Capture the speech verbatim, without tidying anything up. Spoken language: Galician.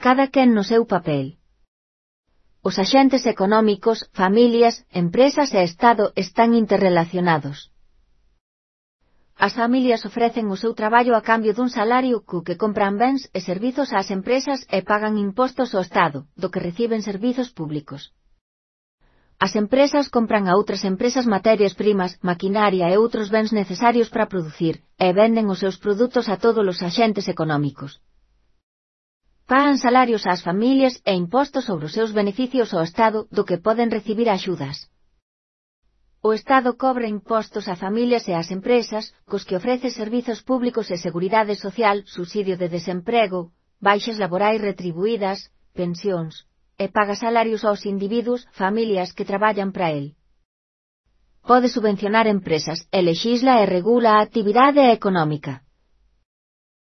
cada quen no seu papel. Os axentes económicos, familias, empresas e Estado están interrelacionados. As familias ofrecen o seu traballo a cambio dun salario co que compran bens e servizos ás empresas e pagan impostos ao Estado, do que reciben servizos públicos. As empresas compran a outras empresas materias primas, maquinaria e outros bens necesarios para producir, e venden os seus produtos a todos os axentes económicos. Pagan salarios ás familias e impostos sobre os seus beneficios ao Estado, do que poden recibir axudas. O Estado cobra impostos a familias e ás empresas, cos que ofrece servizos públicos e seguridade social, subsidio de desemprego, baixas laborais retribuídas, pensións, e paga salarios aos individuos, familias que traballan para el. Pode subvencionar empresas, e lexisla e regula a actividade económica.